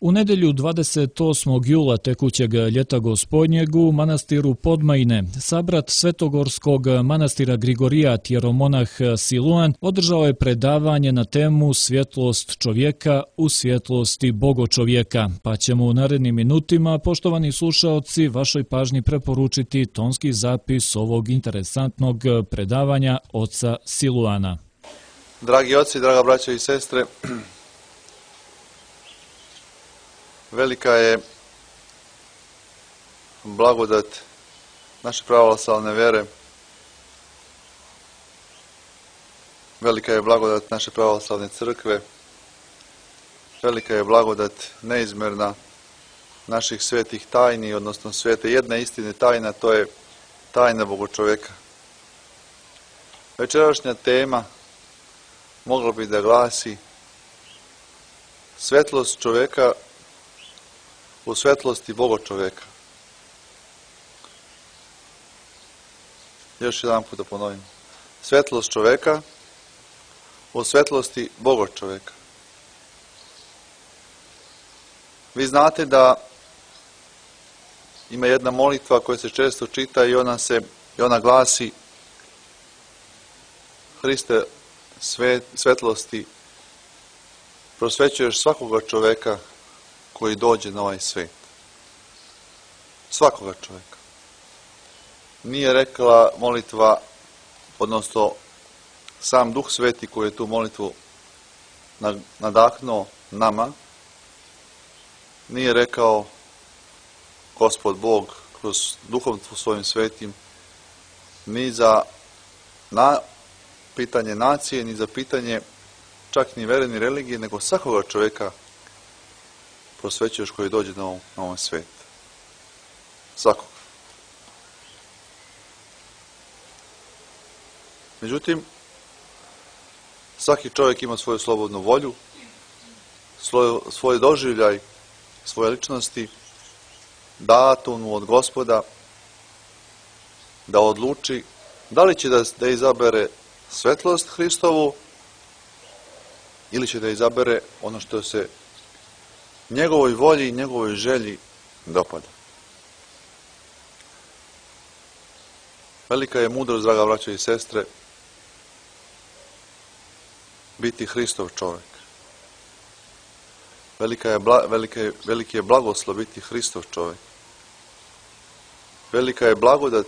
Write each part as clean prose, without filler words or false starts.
U nedjelju 28. jula tekućeg ljeta gospodnjeg u manastiru Podmajine sabrat Svetogorskog manastira Grigorijat jeromonah Siluan održao je predavanje na temu svjetlost čovjeka u svjetlosti bogočovjeka, pa ćemo u narednim minutima, poštovani slušaoci, vašoj pažnji preporučiti tonski zapis ovog interesantnog predavanja oca Siluana. Dragi oci, draga braća i sestre, velika je blagodat naše pravoslavne vere, velika je blagodat naše pravoslavne crkve, velika je blagodat neizmjerna naših svetih tajni, odnosno svete jedne istine tajna, to je tajna bogočovjeka. Večerašnja tema mogla bi da glasi svetlost čovjeka u svetlosti bogočovjeka. Još jedan put da ponovim. Svetlost čovjeka u svetlosti bogočovjeka. Vi znate da ima jedna molitva koja se često čita i ona glasi: Hriste svetlosti, prosvećuješ svakoga čovjeka koji dođe na ovaj svijet. Svakoga čovjeka. Nije rekla molitva, odnosno sam Duh Sveti koji je tu molitvu nadahnuo nama, nije rekao Gospod Bog kroz Duhom svojim svetim ni za pitanje nacije, ni za pitanje čak ni vere, ni religije, nego svakoga čovjeka prosvećuješ koji dođe na ovaj svijet. Svakoga. Međutim, svaki čovjek ima svoju slobodnu volju, svoj doživljaj, svoje ličnosti, datu mu od Gospoda da odluči da li će da izabere svetlost Hristovu ili će da izabere ono što se njegovoj volji i njegovoj želji dopada. Velika je mudrost, draga braćo i sestre, biti Hristov čovjek. Veliki je blagoslov biti Hristov čovjek. Velika je blagodat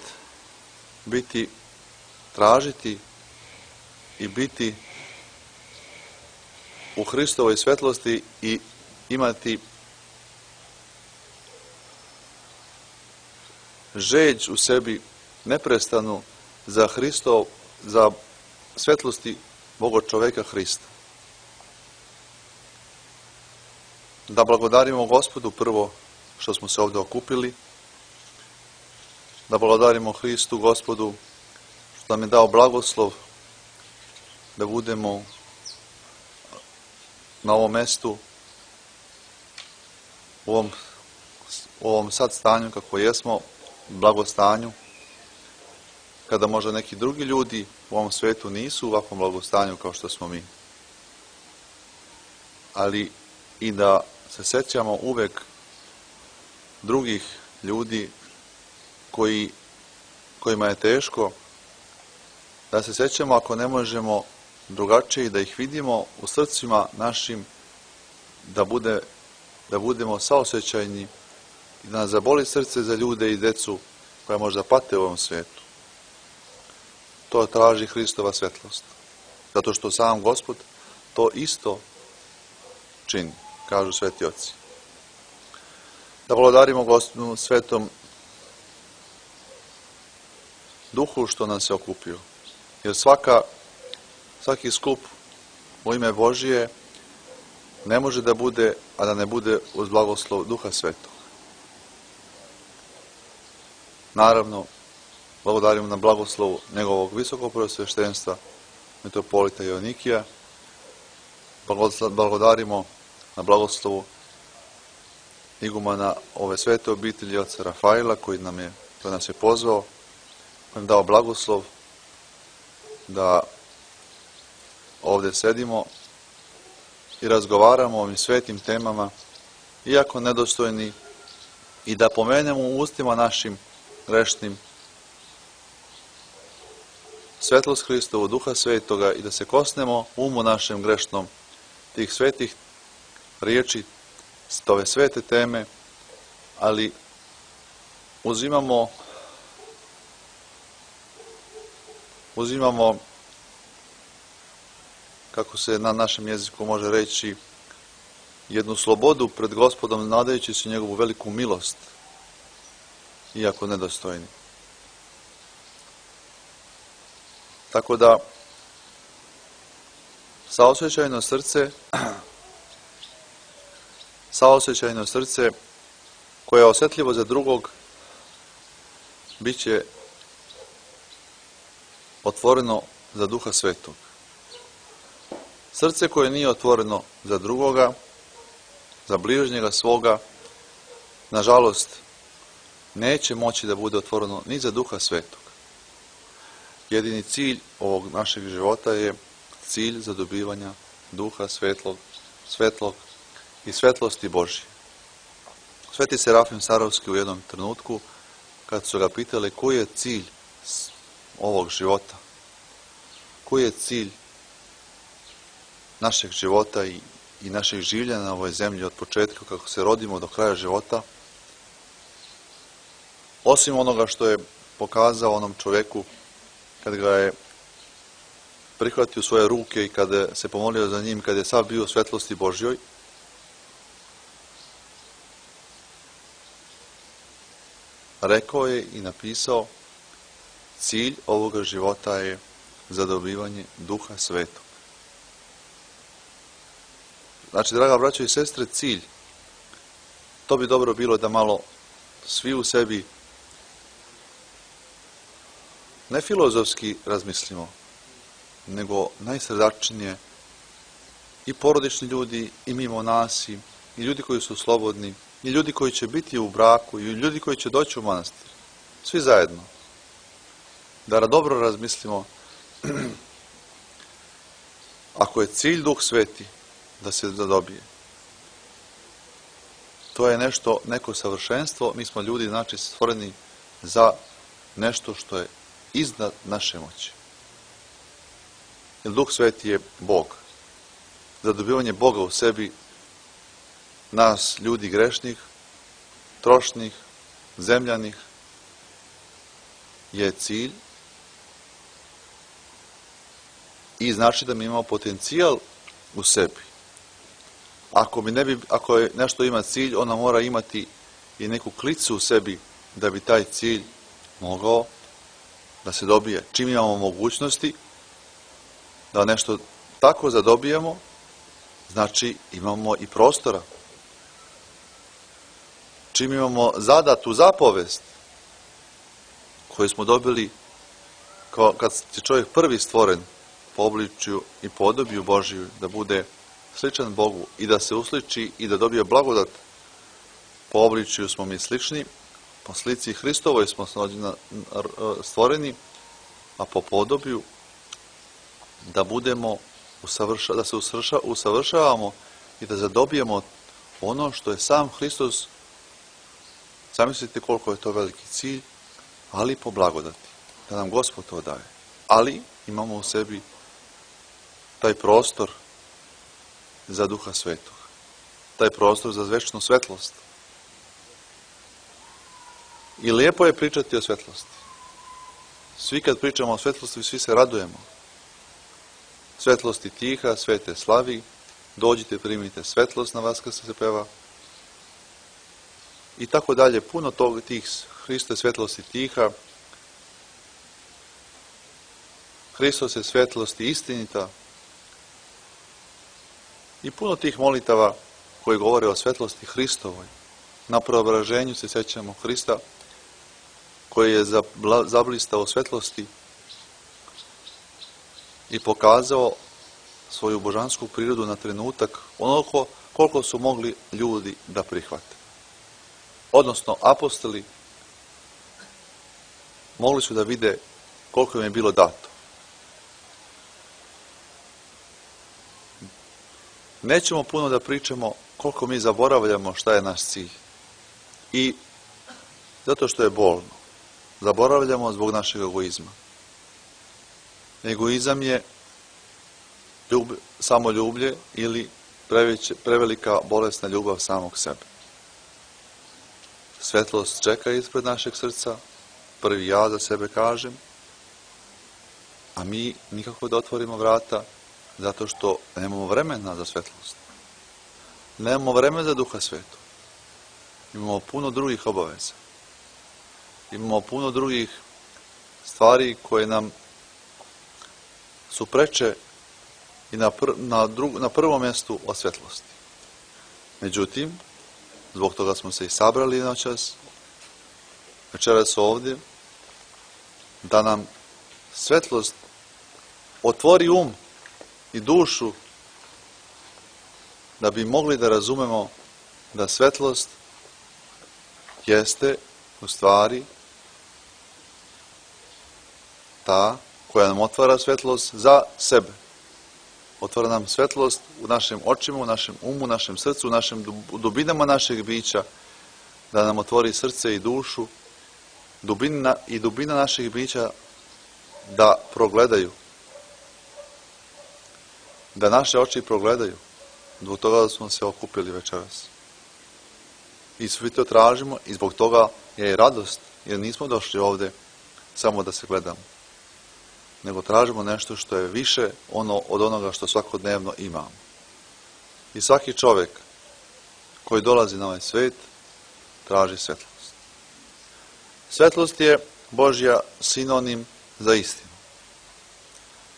tražiti i biti u Hristovoj svetlosti i imati žeđ u sebi neprestanu za svetlosti bogočovjeka Hrista. Da blagodarimo Gospodu prvo što smo se ovdje okupili, da blagodarimo Hristu Gospodu što nam je dao blagoslov da budemo na ovom mjestu, u ovom sad stanju kako jesmo, blagostanju, kada možda neki drugi ljudi u ovom svijetu nisu u ovakvom blagostanju kao što smo mi. Ali i da se sjećamo uvek drugih ljudi kojima je teško, da se sjećamo ako ne možemo drugačije da ih vidimo u srcima našim, da budemo saosjećajni i da nas zaboli srce za ljude i djecu koja možda pate u ovom svijetu. To traži Hristova svetlost. Zato što sam Gospod to isto čini, kažu sveti oci. Da blagodarimo Gospodu svetom Duhu što nas je okupio. Jer svaki skup u ime Božije ne može da bude, a da ne bude uz blagoslov Duha Svetog. Naravno, blagodarimo na blagoslovu njegovog visokog prvosveštenstva, mitropolita Joanikija, blagodarimo na blagoslovu igumana ove svete obitelji oca Rafaila koji nas je pozvao, koji nam dao blagoslov da ovdje sedimo i razgovaramo o ovim svetim temama iako nedostojni, i da pomenemo u ustima našim grešnim svetlost Hristovu, Duha Svetoga, i da se kosnemo umu našem grešnom tih svetih riječi, ove svete teme, ali uzimamo kako se na našem jeziku može reći, jednu slobodu pred Gospodom, nadajući se njegovu veliku milost, iako nedostojni. Tako da, saosjećajno srce koje je osjetljivo za drugog, bit će otvoreno za Duha Svetog. Srce koje nije otvoreno za drugoga, za bližnjega svoga, nažalost, neće moći da bude otvoreno ni za Duha Svetog. Jedini cilj ovog našeg života je cilj zadobivanja Duha svetlog i svetlosti Božje. Sveti Serafim Sarovski u jednom trenutku, kad su ga pitali koji je cilj ovog života, koji je cilj našeg života i našeg življenja na ovoj zemlji od početka kako se rodimo do kraja života, osim onoga što je pokazao onom čovjeku kad ga je prihvatio u svoje ruke i kada se pomolio za njim, kad je sav bio u svetlosti Božjoj, rekao je i napisao, cilj ovoga života je zadobivanje Duha Svetog. Znači, draga braćo i sestre, cilj, to bi dobro bilo da malo svi u sebi ne filozofski razmislimo, nego najsrdačnije, i porodični ljudi, i mimo nas, i ljudi koji su slobodni, i ljudi koji će biti u braku, i ljudi koji će doći u manastir. Svi zajedno. Da dobro razmislimo, ako je cilj Duh Sveti, da se zadobije. To je neko savršenstvo, mi smo ljudi, znači, stvoreni za nešto što je iznad naše moći. Jer Duh Sveti je Bog. Zadobivanje Boga u sebi, nas, ljudi grešnih, trošnih, zemljanih, je cilj i znači da mi imamo potencijal u sebi. Ako je nešto ima cilj, ona mora imati i neku klicu u sebi da bi taj cilj mogao da se dobije. Čim imamo mogućnosti da nešto tako zadobijemo, znači imamo i prostora. Čim imamo zadatu zapovest koju smo dobili kad je čovjek prvi stvoren po obličju i podobiju Božiju, da bude sličan Bogu i da se usliči i da dobije blagodat, po obličju smo mi slični, po slici Hristovoj smo stvoreni, a po podobiju da budemo da se usavršavamo i da zadobijemo ono što je sam Hristos. Zamislite koliko je to veliki cilj, ali po blagodati, da nam Gospod to daje. Ali imamo u sebi taj prostor za Duha Svetog, taj prostor za večnu svetlost. I lijepo je pričati o svetlosti. Svi kad pričamo o svetlosti, svi se radujemo. Svetlosti tiha, svete slavi, dođite, primite svetlost na vas kad se peva. I tako dalje, puno tih Hriste svetlosti tiha, Hristos je svetlosti istinita, i puno tih molitava koji govore o svetlosti Hristovoj. Na preobraženju se sjećamo Hrista koji je zablistao svetlosti i pokazao svoju božansku prirodu na trenutak, onoliko koliko su mogli ljudi da prihvate. Odnosno, apostoli mogli su da vide koliko im je bilo dato. Nećemo puno da pričamo koliko mi zaboravljamo šta je naš cilj. I zato što je bolno, zaboravljamo zbog našeg egoizma. Egoizam je samoljublje ili prevelika bolesna ljubav samog sebe. Svetlost čeka ispred našeg srca, prvi ja za sebe kažem, a mi nikako da otvorimo vrata zato što nemamo vremena za svetlost. Nemamo vremena za Duha Svetog. Imamo puno drugih obaveza. Imamo puno drugih stvari koje nam su preče i na prvom mjestu od svetlosti. Međutim, zbog toga smo se i sabrali noćas, večeras ovdje, da nam svetlost otvori um i dušu, da bi mogli da razumemo da svetlost jeste u stvari ta koja nam otvara svetlost za sebe. Otvara nam svetlost u našim očima, u našem umu, u našem srcu, u dubinama našeg bića, da nam otvori srce i dušu, dubina naših bića da progledaju, da naše oči progledaju. Zbog toga da smo se okupili večeras. I svi to tražimo i zbog toga je i radost, jer nismo došli ovdje samo da se gledamo, nego tražimo nešto što je više od onoga što svakodnevno imamo. I svaki čovjek koji dolazi na ovaj svijet traži svetlost. Svetlost je Božja sinonim za istinu.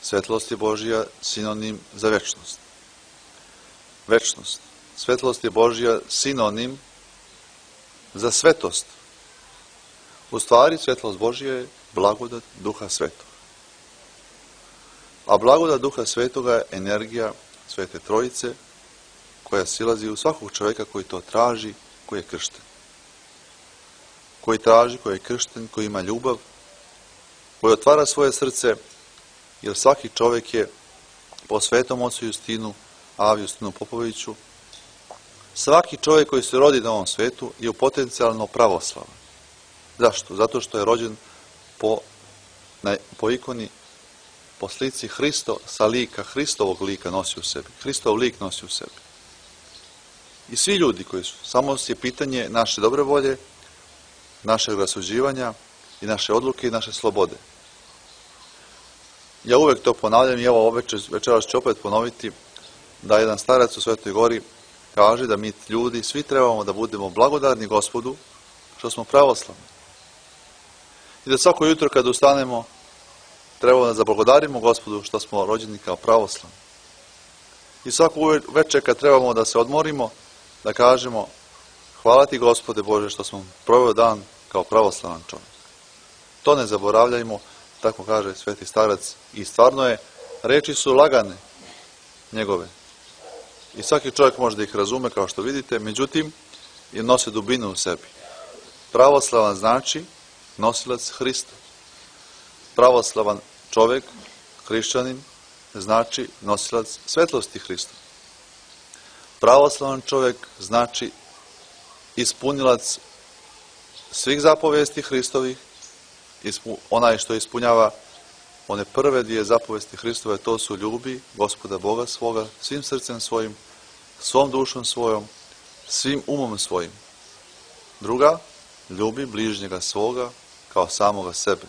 Svetlost je Božja sinonim za večnost. Večnost. Svetlost je Božja sinonim za svetost. U stvari, svetlost Božja je blagodat Duha Svetog. A blagodat Duha Svetoga je energija Svete Trojice koja silazi u svakog čovjeka koji to traži, koji je kršten. Koji traži, koji je kršten, koji ima ljubav, koji otvara svoje srce, jer svaki čovjek je po Svetom Ocu Justinu, Avi Justinu Popoviću, svaki čovjek koji se rodi na ovom svijetu je potencijalno pravoslavan. Zašto? Zato što je rođen po ikoni, po slici Hristo, sa lika, Hristovog lika nosi u sebi. Hristov lik nosi u sebi. I svi ljudi koji su, samo je pitanje naše dobre volje, našeg rasuđivanja i naše odluke i naše slobode. Ja uvek to ponavljam i evo večeras ću opet ponoviti da jedan starac u Svetoj Gori kaže da mi ljudi svi trebamo da budemo blagodarni Gospodu što smo pravoslavni. I da svako jutro kad ustanemo trebamo da zablagodarimo Gospodu što smo rođeni kao pravoslavni. I svako večer kad trebamo da se odmorimo, da kažemo hvala ti Gospode Bože što smo proveo dan kao pravoslavan čovjek. To ne zaboravljajmo, tako kaže sveti starac. I stvarno je, reči su lagane njegove. I svaki čovjek može da ih razume kao što vidite, međutim, je nose dubinu u sebi. Pravoslavan znači nosilac Hrista. Pravoslavan čovjek, hrišćanin, znači nosilac svetlosti Hrista. Pravoslavan čovjek znači ispunilac svih zapovesti Hristovih, onaj što ispunjava one prve dvije zapovesti Hristove, to su ljubi Gospoda Boga svoga svim srcem svojim, svom dušom svojom, svim umom svojim. Druga, ljubi bližnjega svoga kao samoga sebe.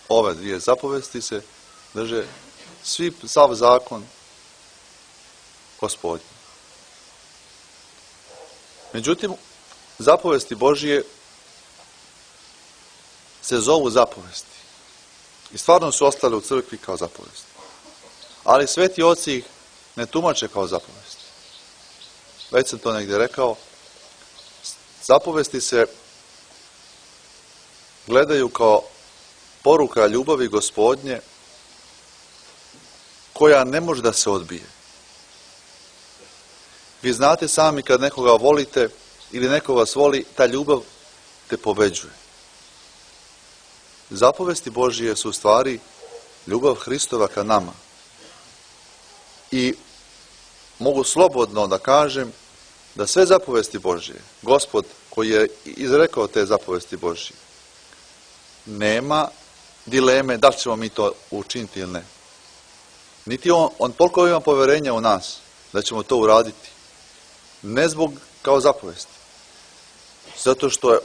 Ove dvije zapovesti se drže sav zakon Gospodnji. Međutim, zapovesti Božije se zovu zapovesti. I stvarno su ostale u crkvi kao zapovesti. Ali sveti oci ih ne tumače kao zapovesti. Već sam to negdje rekao. Zapovesti se gledaju kao poruka ljubavi Gospodnje koja ne može da se odbije. Vi znate sami kad nekoga volite ili neko vas voli, ta ljubav te pobeđuje. Zapovesti Božije su u stvari ljubav Hristova ka nama. I mogu slobodno da kažem da sve zapovesti Božje, Gospod koji je izrekao te zapovesti Božje, nema dileme da li ćemo mi to učiniti ili ne. Niti on toliko ima poverenja u nas da ćemo to uraditi. Ne zbog kao zapovesti. Zato što je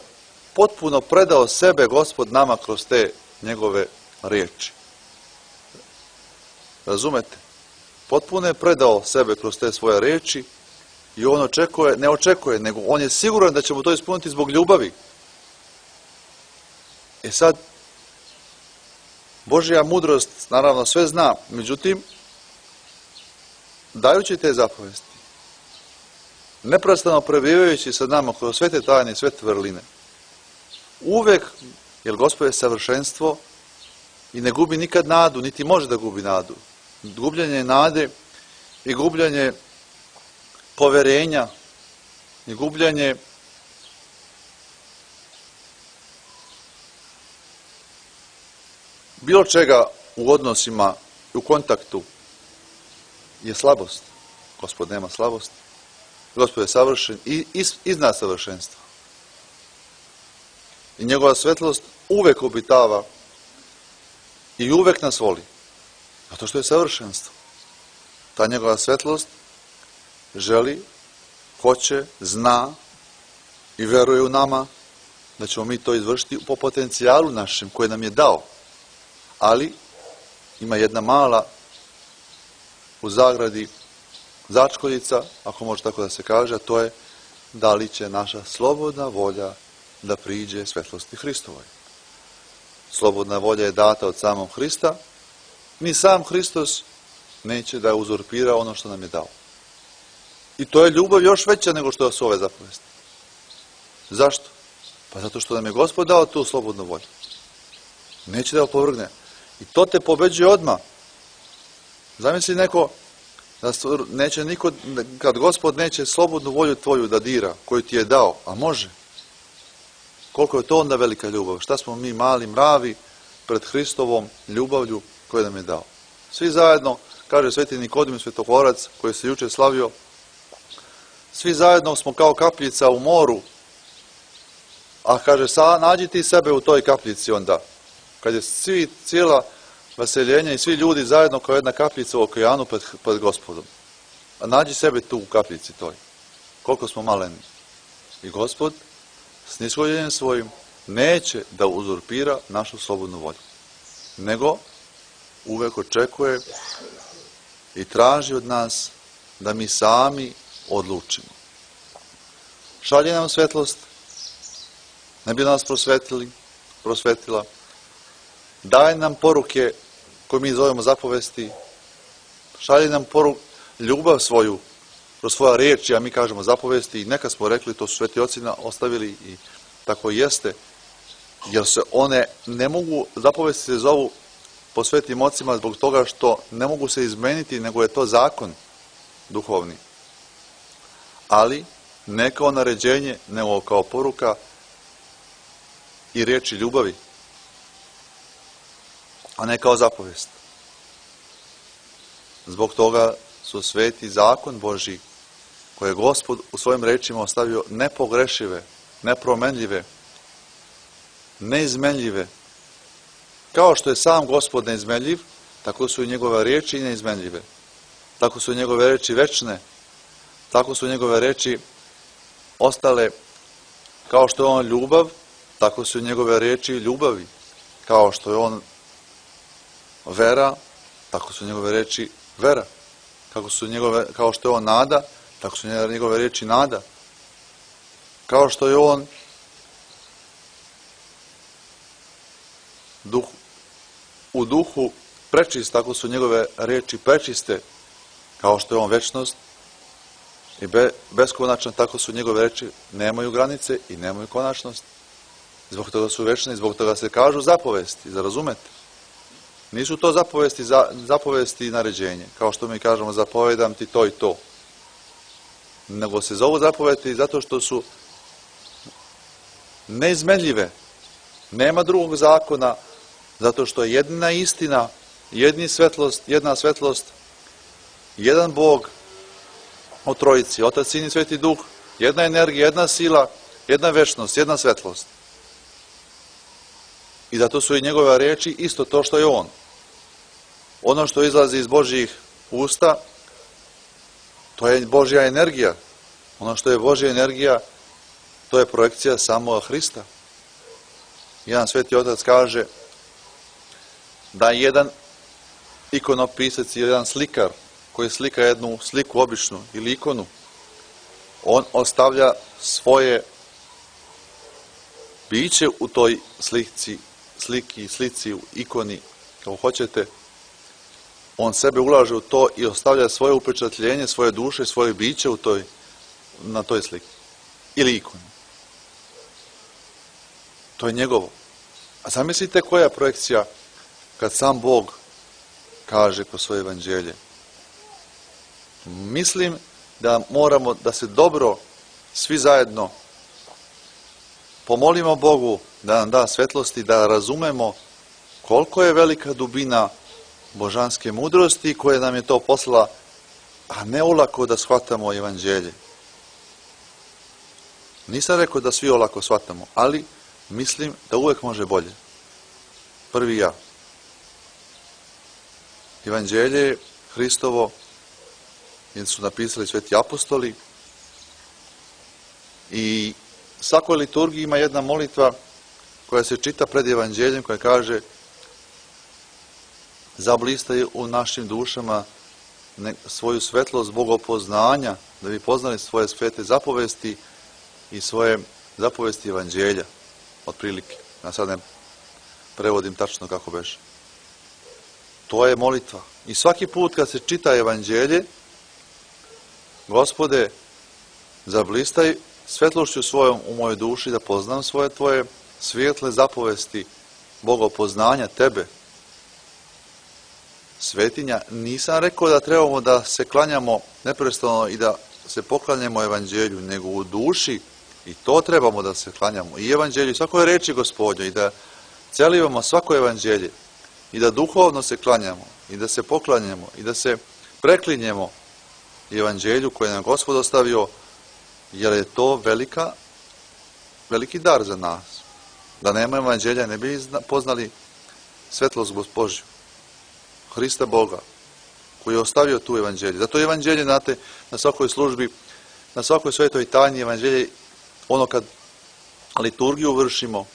potpuno predao sebe Gospod nama kroz te njegove riječi. Razumete? Potpuno je predao sebe kroz te svoje riječi i on ne očekuje, nego on je siguran da ćemo to ispuniti zbog ljubavi. Sad, Božja mudrost naravno sve zna, međutim, dajući te zapovesti, neprestano prebivajući sa nama kroz sve te tajne i sve te vrline, uvek, jer Gospod je savršenstvo i ne gubi nikad nadu, niti može da gubi nadu. Gubljenje nade i gubljenje poverenja i gubljenje bilo čega u odnosima i u kontaktu je slabost. Gospod nema slabosti. Gospod je savršen i iznad savršenstva. I njegova svetlost uvek obitava i uvek nas voli. Zato što je savršenstvo. Ta njegova svetlost želi, hoće, zna i veruje u nama da ćemo mi to izvršiti po potencijalu našem koje nam je dao. Ali ima jedna mala u zagradi začkoljica, ako može tako da se kaže, a to je da li će naša slobodna volja da priđe svetlosti Hristovoj. Slobodna volja je data od samog Hrista, ni sam Hristos neće da uzurpira ono što nam je dao. I to je ljubav još veća nego što su ove zapovesti. Zašto? Pa zato što nam je Gospod dao tu slobodnu volju. Neće da opovrgne. I to te pobeđuje odmah. Zamisli neko, da neće niko, kad Gospod neće slobodnu volju tvoju da dira, koju ti je dao, a može. Koliko je to onda velika ljubav? Šta smo mi mali mravi pred Hristovom ljubavlju koju nam je dao? Svi zajedno, kaže sveti Nikodim Svetohorac, koji se juče slavio, svi zajedno smo kao kapljica u moru, a kaže, nađi ti sebe u toj kapljici onda. Kad je cijela vaseljenja i svi ljudi zajedno kao jedna kapljica u okeanu pred Gospodom. A nađi sebe tu u kapljici toj. Koliko smo maleni. I Gospod s nishodjenjem svojim neće da uzurpira našu slobodnu volju. Nego uvek očekuje i traži od nas da mi sami odlučimo. Šalje nam svetlost, ne bi nas prosvetila, daje nam poruke koje mi zovemo zapovesti, šalje nam ljubav svoju kroz svoja riječi, a mi kažemo zapovesti i neka smo rekli, to su sveti oci ostavili i tako jeste, jer se one ne mogu, zapovesti se zovu po svetim ocima zbog toga što ne mogu se izmeniti, nego je to zakon duhovni. Ali ne kao naređenje, nego kao poruka i riječi ljubavi, a ne kao zapovest. Zbog toga su sveti zakon Božji, koje je Gospod u svojim rečima ostavio nepogrešive, nepromenljive, neizmenljive. Kao što je sam Gospod neizmenljiv, tako su i njegove riječi neizmenljive. Tako su i njegove riječi večne. Tako su njegove riječi ostale, kao što je on ljubav, tako su i njegove riječi ljubavi. Kao što je on vera, tako su njegove riječi vera. Kao što je on nada, tako su njegove riječi nada. Kao što je on u duhu prečist, tako su njegove riječi prečiste. Kao što je on večnost i beskonačan, tako su njegove riječi nemaju granice i nemaju konačnost. Zbog toga su večne i zbog toga se kažu zapovesti, razumete? Nisu to zapovesti i naređenje, kao što mi kažemo zapovedam ti to i to. Nego se zovu zapovesti zato što su neizmenljive. Nema drugog zakona, zato što je jedna istina, jedna svetlost, jedan Bog o Trojici, Otac, Sin i Sveti Duh, jedna energija, jedna sila, jedna večnost, jedna svetlost. I zato su i njegove riječi isto to što je on. Ono što izlazi iz Božjih usta, to je Božja energija. Ono što je Božja energija, to je projekcija samoga Hrista. Jedan sveti otac kaže da jedan ikonopisac ili jedan slikar koji slika jednu sliku običnu ili ikonu, on ostavlja svoje biće u toj slici, u ikoni, kako hoćete. On sebe ulaže u to i ostavlja svoje upečatljenje, svoje duše, svoje biće na toj sliki ili ikoni. To je njegovo. A zamislite koja je projekcija kad sam Bog kaže kroz svoje evanđelje. Mislim da moramo da se dobro svi zajedno pomolimo Bogu da nam da svetlosti, da razumemo koliko je velika dubina božanske mudrosti koja nam je to poslala, a ne olako da shvatamo evanđelje. Nisam rekao da svi olako shvatamo, ali mislim da uvek može bolje. Prvi ja. Evanđelje Hristovo su napisali sveti apostoli i svakoj liturgiji ima jedna molitva koja se čita pred evanđeljem, koja kaže: zablistaj u našim dušama svoju svetlost bogopoznanja, da bi poznali svoje svete zapovesti i svoje zapovesti evanđelja, otprilike. Ja sad ne prevodim tačno kako beše. To je molitva. I svaki put kad se čita evanđelje, Gospode, zablistaj svetlošću svojom u mojoj duši da poznam svoje tvoje svijetle zapovesti bogopoznanja tebe. Svetinja, nisam rekao da trebamo da se klanjamo neprestano i da se poklanjamo evanđelju, nego u duši i to trebamo da se klanjamo. I evanđelju, i svakoj reči Gospodnjoj, i da celivamo svako evanđelje, i da duhovno se klanjamo, i da se poklanjamo, i da se preklinjemo evanđelju koje nam Gospod ostavio, jer je to veliki dar za nas. Da nema evanđelja, ne bi poznali svetlost Božju, Hrista Boga, koji je ostavio tu evanđelje. Zato evanđelje, znate, na svakoj službi, na svakoj svetoj tajni evanđelje, ono kad liturgiju vršimo,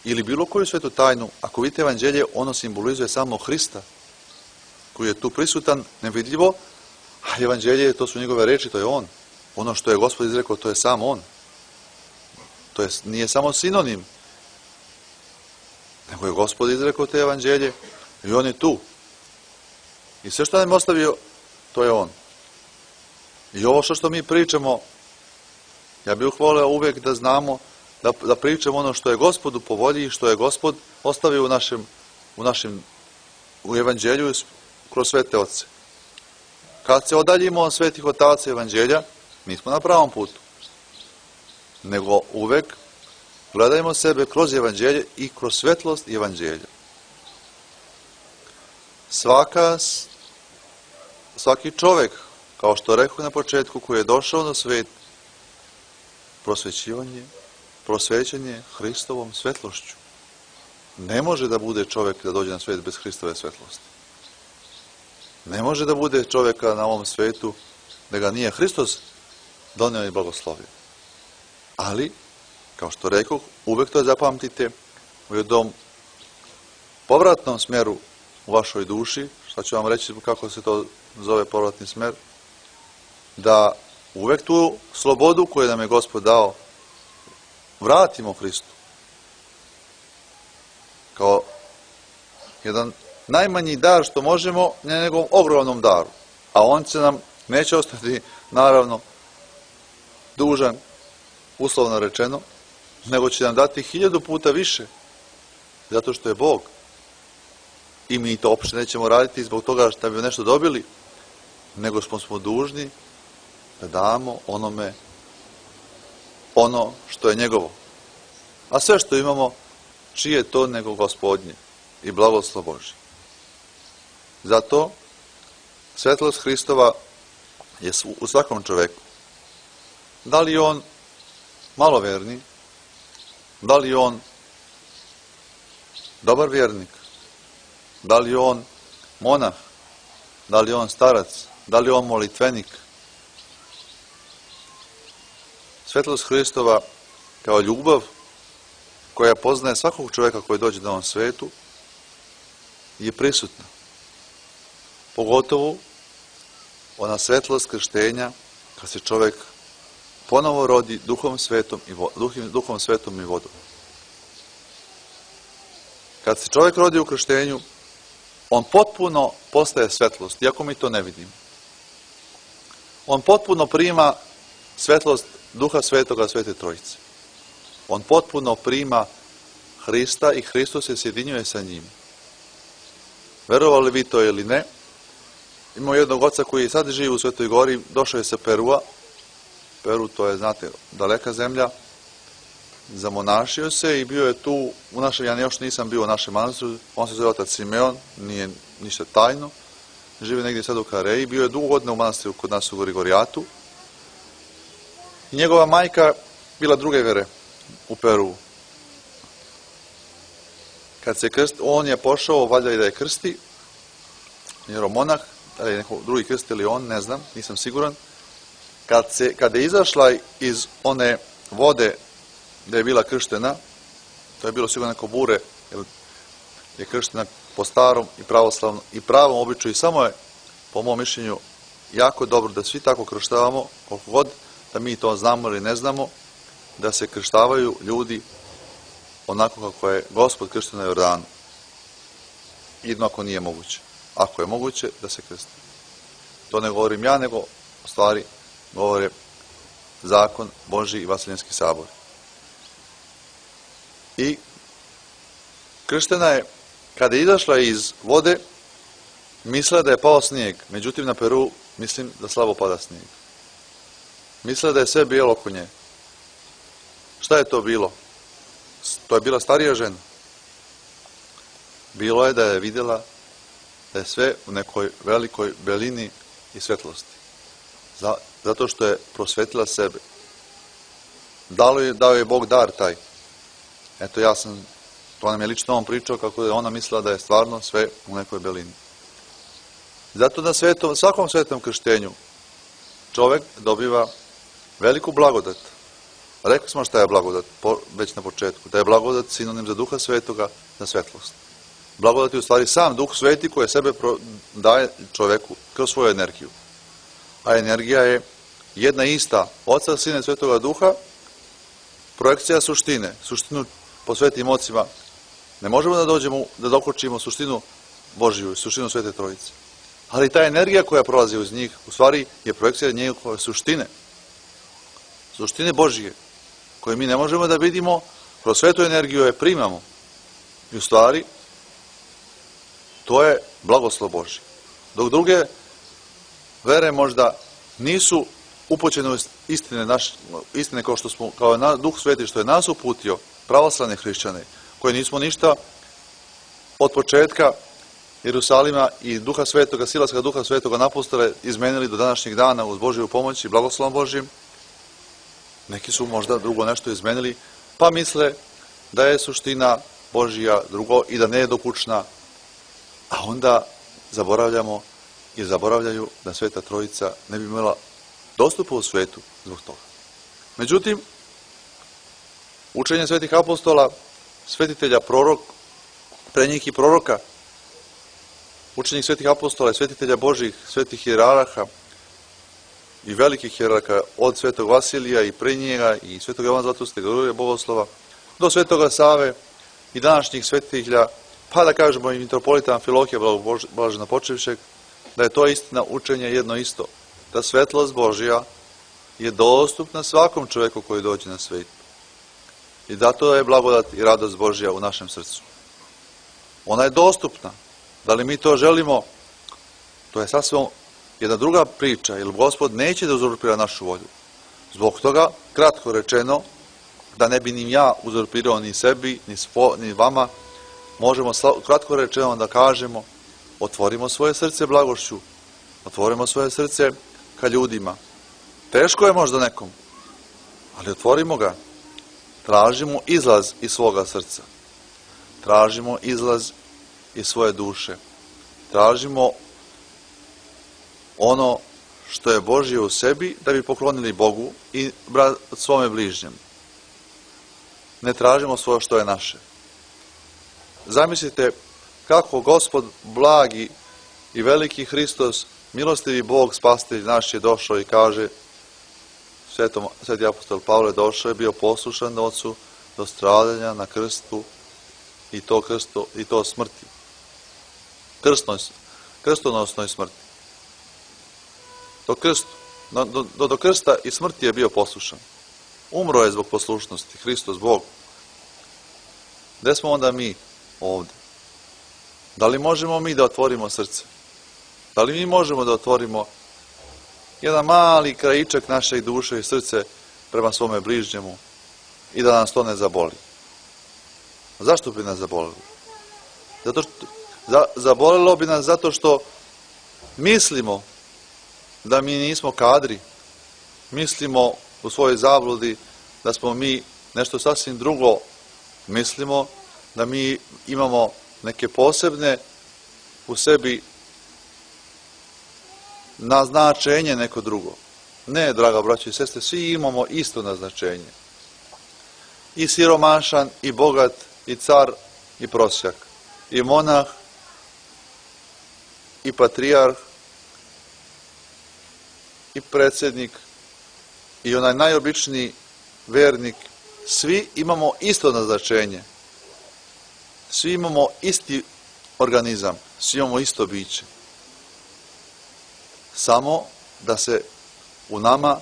ili bilo koju svetu tajnu, ako vidite evanđelje, ono simbolizuje samo Hrista, koji je tu prisutan, nevidljivo, a evanđelje, to su njegove reči, to je on. Ono što je Gospod izrekao, to je sam on. To nije samo sinonim, nego je Gospod izrekao te evanđelje i on je tu. I sve što nam je ostavio, to je on. I ovo što mi pričamo, ja bih voleo uvek da znamo, da pričamo ono što je Gospodu po volji i što je Gospod ostavio u evanđelju kroz svete oce. Kad se odaljimo od svetih otaca evanđelja, nismo na pravom putu. Nego uvek gledajmo sebe kroz evanđelje i kroz svetlost evanđelja. Svaki čovek, kao što rekao na početku, koji je došao na svet, prosvećen je Hristovom svetlošću. Ne može da bude čovek da dođe na svet bez Hristove svetlosti. Ne može da bude čoveka na ovom svetu da ga nije Hristos doneo i blagoslovio. Ali, kao što rekao, uvek to zapamtite u jednom povratnom smeru u vašoj duši, šta ću vam reći kako se to zove povratni smer, da uvek tu slobodu koju nam je Gospod dao vratimo Hristu. Kao jedan najmanji dar što možemo, ne njegovom ogromnom daru. A on će nam, neće ostati, naravno, dužan, uslovno rečeno, nego će nam dati 1000 puta više, zato što je Bog. I mi to uopšte nećemo raditi zbog toga što bi nešto dobili, nego smo dužni da damo onome ono što je njegovo. A sve što imamo, čije je to nego Gospodnje i blagoslov Božji. Zato svetlost Hristova je u svakom čoveku. Da li je on maloverni, da li je on dobar vjernik, da li je on monah, da li je on starac, da li je on molitvenik. Svetlost Hristova kao ljubav koja poznaje svakog čovjeka koji dođe na ovom svetu je prisutna. Pogotovo ona svetlost krštenja kad se čovjek ponovo rodi Duhom Svetom i vodom. Kad se čovjek rodi u krštenju, on potpuno postaje svetlost, iako mi to ne vidimo. On potpuno prima svetlost Duha Svetoga, Svete Trojice. On potpuno prima Hrista i Hristos se sjedinjuje sa njim. Verovali vi to ili ne, imamo jednog oca koji sad živi u Svetoj Gori, došao je sa Perua. Peru, to je, znate, daleka zemlja. Zamonašio se i bio je tu u našem, ja još nisam bio u našem manastiru, on se zove otac Simeon, nije ništa tajno, živi negdje sad u Kareji, bio je dugo godina u manastiru kod nas u Grigorijatu. I njegova majka bila druge vere u Peru. Kad se on je pošao, valjda i da je krsti, jeromonah, da je neko drugi krst ili on, ne znam, nisam siguran. Kad je izašla iz one vode gdje je bila krštena, to je bilo sigurno neko bure, jer je krštena po starom i pravoslavnom i pravom običaju i samo je, po mom mišljenju, jako dobro da svi tako krštavamo, koliko god da mi to znamo ili ne znamo, da se krštavaju ljudi onako kako je Gospod krštio na Jordanu. Jedno ako nije moguće. Ako je moguće, da se krsti. To ne govorim ja, nego u stvari govore zakon Božji i Vaseljenski sabor. I krštena je, kada je izašla iz vode, mislila da je pao snijeg. Međutim, na Peru mislim da slabo pada snijeg. Mislila da je sve bijelo oko nje. Šta je to bilo? To je bila starija žena. Bilo je da je vidjela da je sve u nekoj velikoj belini i svetlosti. Zato što je prosvetila sebe. Dao je Bog dar taj. Eto, to nam je lično on pričao kako je ona mislila da je stvarno sve u nekoj belini. Zato na svakom svetom krštenju čovjek dobiva veliku blagodat. Rekli smo šta je blagodat već na početku. Da je blagodat sinonim za Duha Svetoga, za svetlost. Blagodat je u stvari sam Duh Sveti koji sebe daje čovjeku kroz svoju energiju. A energija je jedna ista, Oca, Sina i Svetoga Duha, projekcija suštine. Suštinu po svetim ocima ne možemo da dokočimo suštinu Božju, suštinu Svete Trojice. Ali ta energija koja prolazi uz njih, u stvari je projekcija njegove suštine. Suštine Božje, koje mi ne možemo da vidimo, kroz svetu energiju je primamo. I u stvari, to je blagoslov Božji. Dok druge vere možda nisu upućene u istine kao Duh Sveti što je nas uputio, pravoslavne hrišćane, koji nismo ništa od početka Jerusalima i Duha Svetoga, silaska Duha Svetoga napostole izmenili do današnjeg dana uz Božju pomoć i blagoslovom Božjim. Neki su možda drugo nešto izmenili, pa misle da je suština Božja drugo i da ne je dokučna, a onda zaboravljaju da Sveta Trojica ne bi imala dostupa u svetu zbog toga. Međutim, učenje svetih apostola, svetitelja pre njih i proroka, učenje svetih apostola i svetitelja Božjih, svetih hijerarha i velikih hijerarha od svetog Vasilija i pre njega i svetog Jovana Zlatoustog, Grigorija Bogoslova, do svetoga Save i današnjih svetitelja, pa da kažemo i mitropolita Amfilohija Blažena Počivšeg, da je to istina učenje jedno isto, da svetlost Božja je dostupna svakom čovjeku koji dođe na svijet. I zato je blagodat i radost Božja u našem srcu. Ona je dostupna. Da li mi to želimo, to je sasvim jedna druga priča, jer Gospod neće da uzurpira našu volju. Zbog toga, kratko rečeno, da ne bi ni ja uzurpirao ni sebi, ni vama, možemo kratko rečeno da kažemo, otvorimo svoje srce blagošću, otvorimo svoje srce ka ljudima. Teško je možda nekom, ali otvorimo ga. Tražimo izlaz iz svoga srca. Tražimo izlaz iz svoje duše. Tražimo ono što je Božje u sebi da bi poklonili Bogu i svome bližnjem. Ne tražimo svoje što je naše. Zamislite kako Gospod blagi i veliki Hristos, milostivi Bog, spasitelj naš, je došao i kaže, sveti apostol Pavle došao je, bio poslušan Ocu do stradanja na krstu i to smrti. Krstonosnoj smrti. Do krsta i smrti je bio poslušan. Umro je zbog poslušnosti, Hristos Bog. Gde smo onda mi ovdje? Da li možemo mi da otvorimo srce? Da li mi možemo da otvorimo jedan mali krajičak naše duše i srce prema svome bližnjemu i da nas to ne zaboli? Zašto bi nas zabolilo? Zabolilo bi nas zato što mislimo da mi nismo kadri, mislimo u svojoj zabludi da smo mi nešto sasvim drugo, mislimo da mi imamo neke posebne u sebi naznačenje neko drugo. Ne, draga braćo i sestre, svi imamo isto naznačenje. I siromašan, i bogat, i car, i prosjak, i monah, i patrijarh, i predsjednik, i onaj najobičniji vernik. Svi imamo isto naznačenje. Svi imamo isti organizam, svi imamo isto biće. Samo da se u nama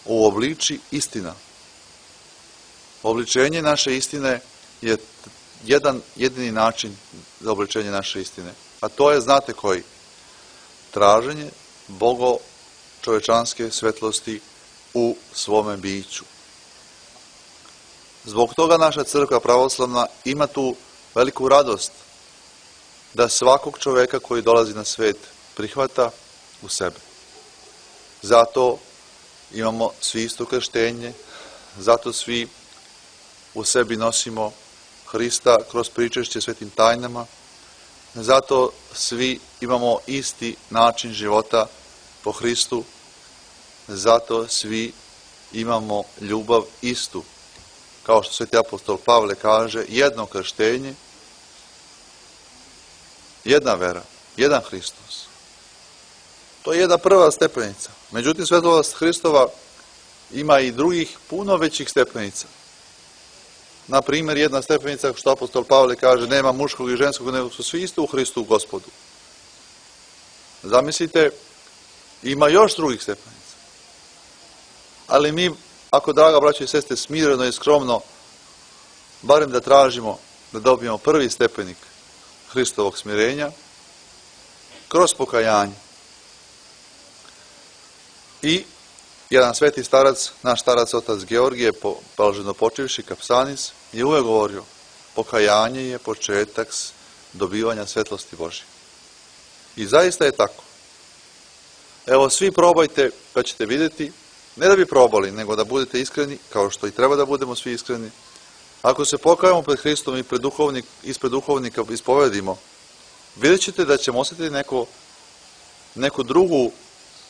uobliči istina. Obličenje naše istine je jedan jedini način za obličenje naše istine. A to je, znate koji? Traženje Bogo čovečanske svetlosti u svome biću. Zbog toga naša crkva pravoslavna ima tu veliku radost da svakog čoveka koji dolazi na svet prihvata u sebe. Zato imamo svi isto krštenje, zato svi u sebi nosimo Hrista kroz pričešće svetim tajnama, zato svi imamo isti način života po Hristu, zato svi imamo ljubav istu. Kao što sveti apostol Pavle kaže, jedno krštenje, jedna vera, jedan Hristos. To je jedna prva stepenica. Međutim, svetlost Hristova ima i drugih puno većih stepenica. Na primjer, jedna stepenica, što apostol Pavle kaže, nema muškog i ženskog, nego su svi isto u Hristu Gospodu. Zamislite, ima još drugih stepenica. Ali mi, ako, draga braćo i sestre, smireno i skromno, barem da tražimo da dobijemo prvi stepenik Hristovog smirenja, kroz pokajanje. I jedan sveti starac, naš starac otac Georgije, blaženo počivši Kapsanis, je uvek govorio, pokajanje je početak dobivanja svetlosti Božje. I zaista je tako. Evo, svi probajte, pa ćete vidjeti, ne da bi probali, nego da budete iskreni, kao što i treba da budemo svi iskreni. Ako se pokajamo pred Hristom i ispred duhovnika ispovedimo, vidjet ćete da ćemo osjetiti neku drugu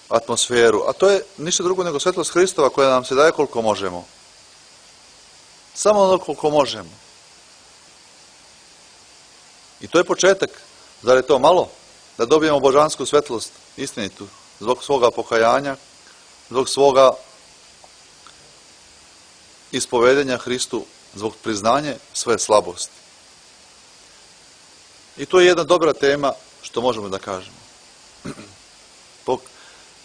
atmosferu, a to je ništa drugo nego svetlost Hristova koja nam se daje koliko možemo. Samo ono koliko možemo. I to je početak. Zar je to malo? Da dobijemo božansku svetlost, istinitu, zbog svoga pokajanja, zbog svoga ispovedenja Hristu, zbog priznanja svoje slabosti. I to je jedna dobra tema što možemo da kažemo.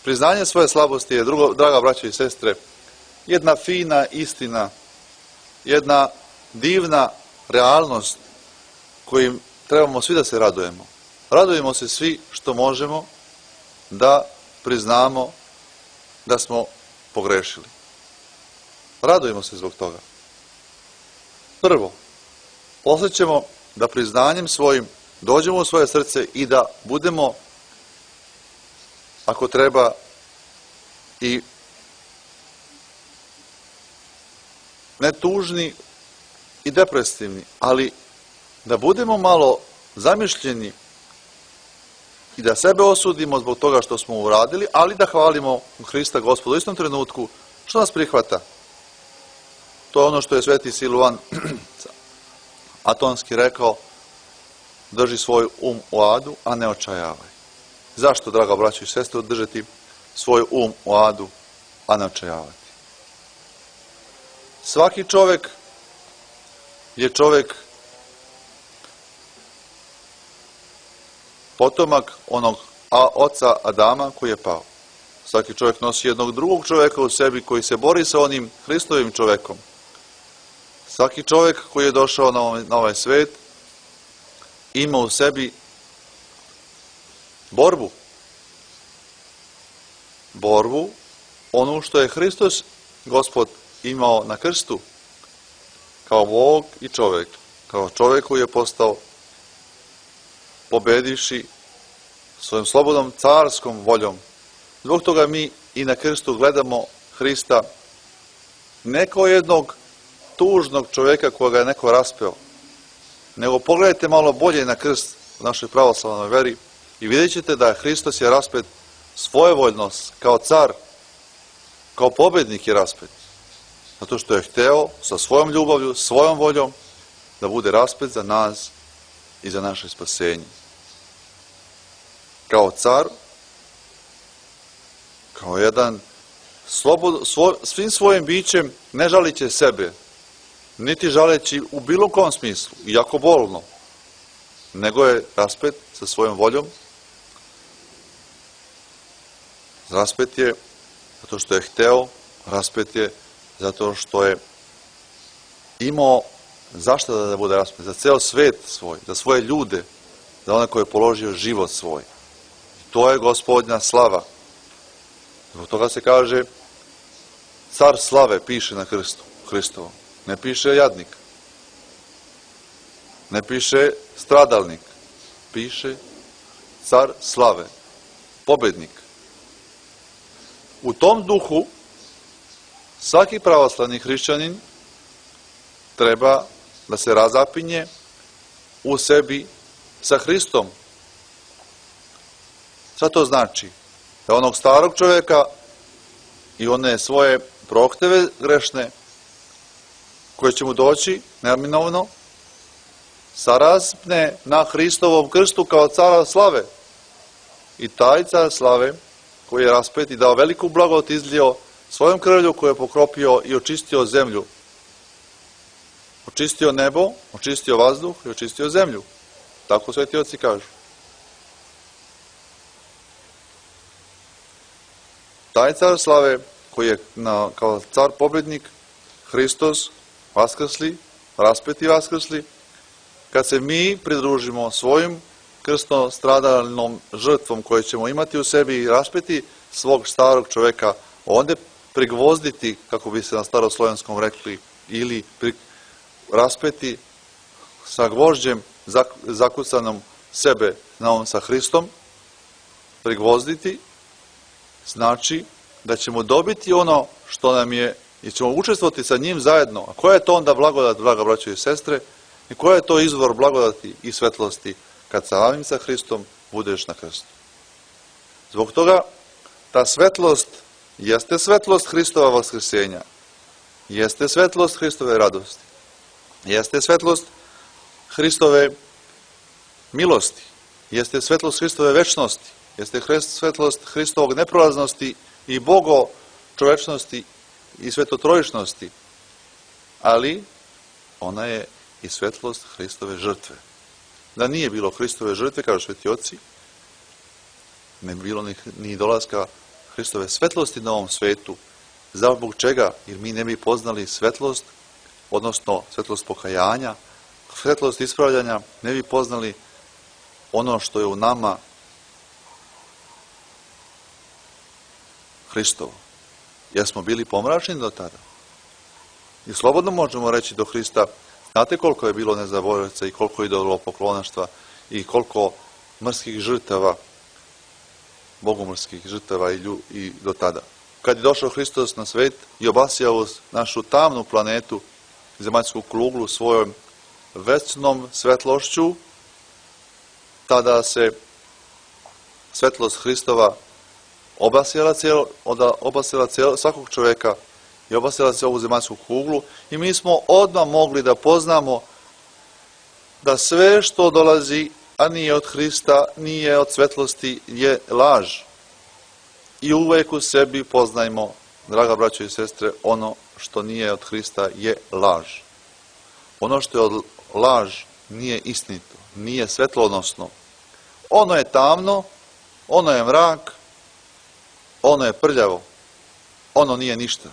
Priznanje svoje slabosti je, draga braćo i sestre, jedna fina istina, jedna divna realnost kojim trebamo svi da se radujemo. Radujemo se svi što možemo da priznamo da smo pogrešili. Radujemo se zbog toga. Prvo, osjećamo da priznanjem svojim dođemo u svoje srce i da budemo, ako treba, i ne tužni i depresivni, ali da budemo malo zamišljeni i da sebe osudimo zbog toga što smo uradili, ali da hvalimo Hrista Gospoda u istom trenutku što nas prihvata. To je ono što je sveti Siluan Atonski rekao: drži svoj u adu, a ne očajavaj. Zašto, draga braćo i sestre, držati svoj u adu, a ne očajavati? Svaki čovek je čovek potomak onog oca Adama koji je pao. Svaki čovjek nosi jednog drugog čovjeka u sebi koji se bori sa onim Hristovim čovjekom. Svaki čovjek koji je došao na ovaj svet ima u sebi borbu. Borbu, ono što je Hristos, Gospod, imao na krstu, kao Bog i čovjek, kao čovjek koji je postao pobedivši svojom slobodnom carskom voljom. Zbog toga mi i na krstu gledamo Hrista ne kao jednog tužnog čovjeka koga je neko raspeo, nego pogledajte malo bolje na krst u našoj pravoslavnoj veri i vidjet ćete da Hristos je raspet svojevoljno, kao car, kao pobednik je raspet. Zato što je hteo sa svojom ljubavlju, svojom voljom da bude raspet za nas i za naše spasenje. Kao car, kao jedan svim svojim bićem ne žaliće sebe, niti žaleći u bilo kom smislu, iako bolno, nego je raspet sa svojom voljom. Raspet je zato što je hteo, raspet je zato što je imao zašto da bude raspet, za ceo svet svoj, za svoje ljude, za one koje je položio život svoj. I to je Gospodnja slava. Zbog toga se kaže car slave piše na krstu Hristovom. Ne piše jadnik. Ne piše stradalnik. Piše car slave. Pobednik. U tom duhu svaki pravoslavni hrišćanin treba da se razapinje u sebi sa Hristom. Šta to znači? Da onog starog čovjeka i one svoje prohteve grešne koje će mu doći neminovno saraspne na Hristovom krstu kao cara slave. I taj car slave koji je raspet i dao veliku blagodat izlio svojom krvlju koju je pokropio i očistio zemlju. Očistio nebo, očistio vazduh i očistio zemlju. Tako sveti oci kažu. Taj car slave koji je kao car pobednik, Hristos, vaskrsli, raspeti vaskrsli, kad se mi pridružimo svojim krstno stradalnom žrtvom koju ćemo imati u sebi i raspeti svog starog čoveka, onda prigvozditi, kako bi se na staroslovenskom rekli, ili raspeti sa gvožđem zakucanom sebe sa Hristom, prigvozditi, znači da ćemo dobiti ono što nam je i ćemo učestvovati sa njim zajedno. A koja je to onda blagodat, draga braćo i sestre, i koja je to izvor blagodati i svetlosti kad samim sa Hristom budeš na krstu. Zbog toga ta svetlost jeste svetlost Hristova vaskrsenja, jeste svetlost Hristove radosti, jeste svetlost Hristove milosti, jeste svetlost Hristove večnosti, jeste svetlost Hristovog neprolaznosti i Bogo čovečnosti i svetotrojičnosti, ali ona je i svetlost Hristove žrtve. Da nije bilo Hristove žrtve, kažu sveti oci, ne bi bilo ni dolaska Hristove svetlosti na ovom svetu. Zbog čega? Jer mi ne bi poznali svetlost, odnosno svetlost pokajanja, svetlost ispravljanja, ne bi poznali ono što je u nama Hristovo. Jer smo bili pomračeni do tada. I slobodno možemo reći do Hrista, znate koliko je bilo nezaboravljica i koliko je idolopoklonaštva i koliko mrskih žrtava, bogomrskih žrtava i do tada. kad je došao Hristos na svet i obasjao našu tamnu planetu, zemaljsku kuglu svojom večnom svetlošću, tada se svetlost Hristova obasjala svakog čoveka i obasjala se ovu zemaljsku kuglu i mi smo odmah mogli da poznamo da sve što dolazi, a nije od Hrista, nije od svetlosti, je laž. I uvek u sebi poznajmo, draga braćo i sestre, ono što nije od Hrista je laž. Ono što je laž nije istinito, nije svetlonosno. Ono je tamno, ono je mrak, ono je prljavo, ono nije ništa,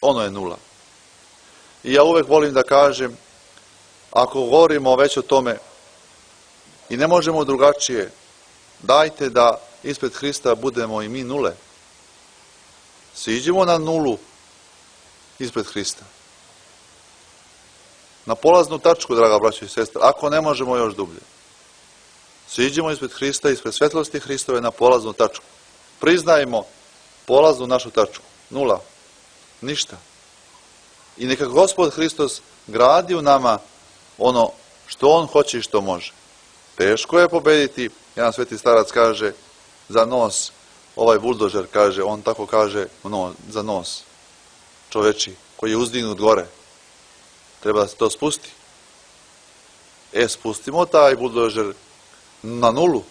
ono je nula. I ja uvek volim da kažem, ako govorimo već o tome i ne možemo drugačije, dajte da ispred Hrista budemo i mi nule. Siđimo na nulu ispred Hrista. Na polaznu tačku, draga braćo i sestre, ako ne možemo još dublje. Siđimo ispred Hrista, ispred svetlosti Hristove na polaznu tačku. Priznajmo polaznu našu tačku. Nula. Ništa. I neka Gospod Hristos gradi u nama ono što On hoće i što može. Teško je pobediti, jedan sveti starac kaže, za nos, ovaj buldožer kaže, on tako kaže, za nos čoveči, koji je uzdignut gore. Treba da se to spusti. Spustimo taj buldožer na nulu.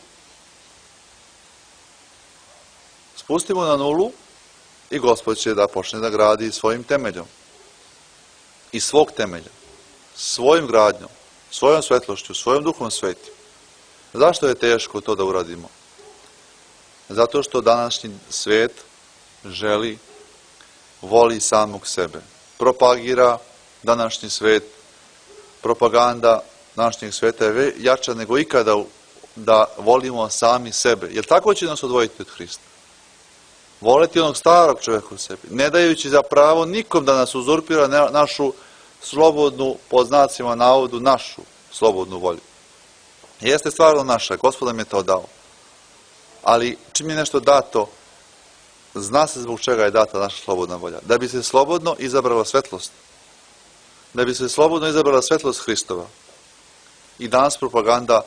Spustimo na nulu i Gospod će da počne da gradi svojim temeljom. I svog temelja. Svojim gradnjom, svojom svetlošću, svojom duhom svetim. Zašto je teško to da uradimo? Zato što današnji svet želi, voli samog sebe. Propagira današnji svet, propaganda današnjeg sveta je jača nego ikada da volimo sami sebe. Jer tako će nas odvojiti od Hrista. Voleti onog starog čovjeka u sebi, ne dajući za pravo nikom da nas uzurpira našu slobodnu, po znacima navodu, našu slobodnu volju. Jeste stvarno naša, Gospod nam je to dao. Ali čim je nešto dato, zna se zbog čega je data naša slobodna volja. Da bi se slobodno izabrala svetlost. Da bi se slobodno izabrala svetlost Hristova. I danas propaganda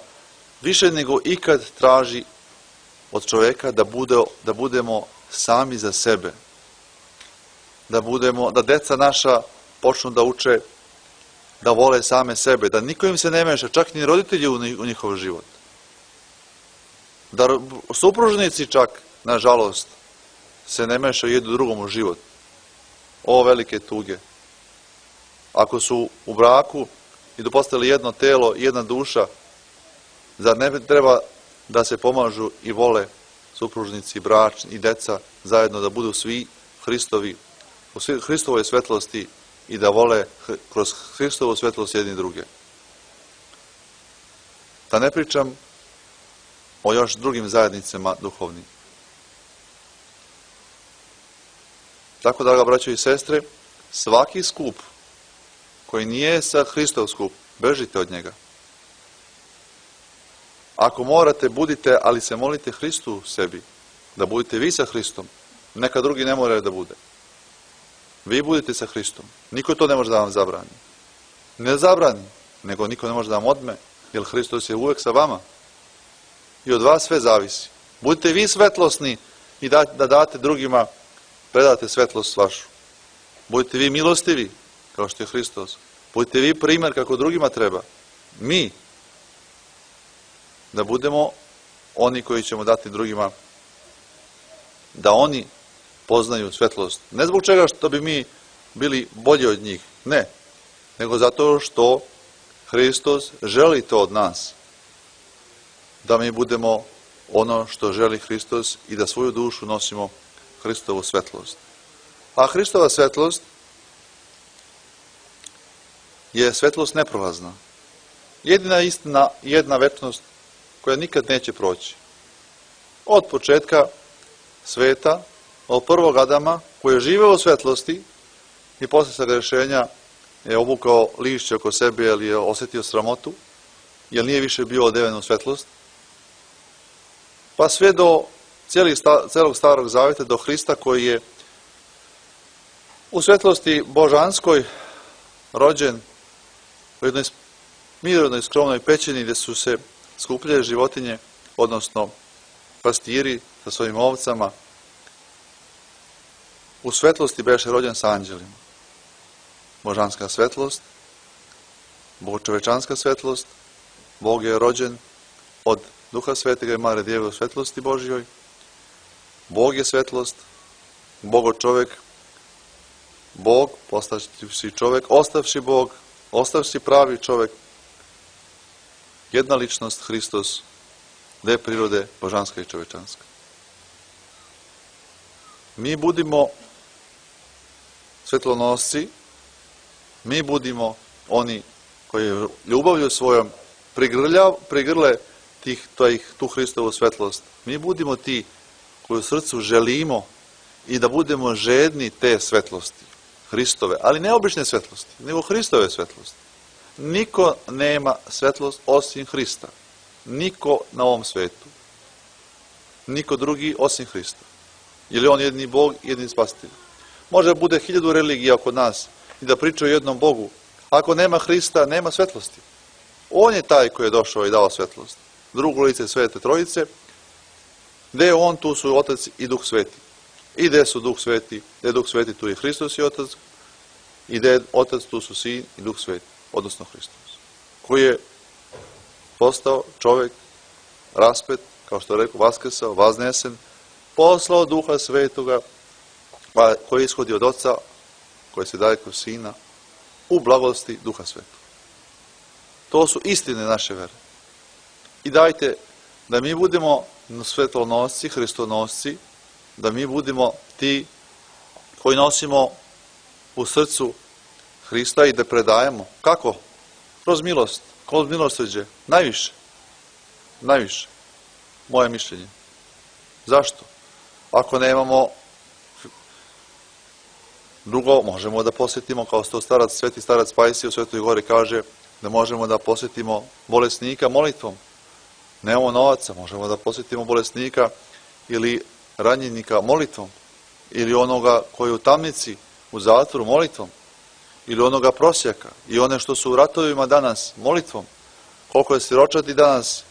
više nego ikad traži od čoveka da budemo sami za sebe. Da deca naša počnu da uče, da vole same sebe, da niko im se ne meša, čak ni roditelji u njihov život. Da supružnici čak, nažalost, se ne mešaju jedno drugom u život. O velike tuge. Ako su u braku i da postali jedno telo, jedna duša, zar ne treba da se pomažu i vole supružnici, bračni i deca zajedno da budu svi Hristovi, u Hristovoj svetlosti i da vole kroz Hristovu svetlost jedni druge. Da ne pričam o još drugim zajednicama duhovnim. Tako, draga braćo i sestre, svaki skup koji nije sa Hristov skup, bežite od njega. Ako morate, budite, ali se molite Hristu sebi, da budete vi sa Hristom. Neka drugi ne moraju da bude. Vi budite sa Hristom. Niko to ne može da vam zabrani. Ne zabrani, nego niko ne može da vam odme, jer Hristos je uvek sa vama. I od vas sve zavisi. Budite vi svetlosni i da date drugima, predate svetlost vašu. Budite vi milostivi, kao što je Hristos. Budite vi primer kako drugima treba. Mi, da budemo oni koji ćemo dati drugima, da oni poznaju svetlost. Ne zbog čega što bi mi bili bolji od njih, ne, nego zato što Hristos želi to od nas. Da mi budemo ono što želi Hristos i da svoju dušu nosimo Hristovu svetlost. A Hristova svetlost je svetlost neprolazna. Jedina istina, jedna večnost koja nikad neće proći. Od početka sveta, od prvog Adama, koji je živeo u svetlosti i posle sagrešenja je obukao lišće oko sebe jer je osetio sramotu, jer nije više bio odeven u svetlost, pa sve do celog starog zaveta, do Hrista koji je u svetlosti božanskoj rođen u jednoj mirodnoj skromnoj pećini gdje su se skupljale životinje, odnosno pastiri sa svojim ovcama. U svetlosti beše rođen sa anđelima. Božanska svetlost, bogočovečanska svetlost, Bog je rođen od Duha Svetega i Mare Djeve u svetlosti Božjoj. Bog je svetlost, Bogo čovek, Bog postavši čovek, ostavši Bog, ostavši pravi čovek, jedna ličnost, Hristos, dve prirode, božanska i čovečanska. Mi budimo svetlonosci, mi budimo oni koji ljubavlju svojom prigrle tu Hristovu svetlost. Mi budimo ti koji u srcu želimo i da budemo žedni te svetlosti, Hristove, ali ne obične svetlosti, nego Hristove svetlosti. Niko nema svetlost osim Hrista. Niko na ovom svetu. Niko drugi osim Hrista. Jer je on jedini Bog, jedini spasitelj. Može da bude 1000 religija oko nas i da pričaju o jednom Bogu. Ako nema Hrista, nema svetlosti. On je taj koji je došao i dao svetlost. Drugo lice Svete Trojice. Gde je on, tu su Otac i Duh Sveti. I gde su Duh Sveti, gde je Duh Sveti, tu je Hristos i Otac. I gde je Otac, tu su Sin i Duh Sveti, odnosno Hristos. Koji je postao čovek, raspet, kao što je rekao, vaskrsao, vaznesen, poslao Duha Svetoga, koji ishodi od Oca, koji se daje kroz Sina, u blagosti Duha Svetog. To su istine naše vere. I dajte da mi budemo svetlonosci, hristonosci, da mi budemo ti koji nosimo u srcu Hrista i da predajemo. Kako? Kroz milost, kroz milosrđe. Najviše. Najviše. Moje mišljenje. Zašto? Ako nemamo drugo, možemo da posjetimo, kao što sveti starac Pajsije u Svetoj Gori kaže, da možemo da posjetimo bolesnika molitvom. Nemamo novaca, možemo da posjetimo bolesnika ili ranjenika molitvom. Ili onoga koji je u tamnici, u zatvoru molitvom. Ili onoga prosjaka. I one što su u ratovima danas molitvom. Koliko je siročati danas,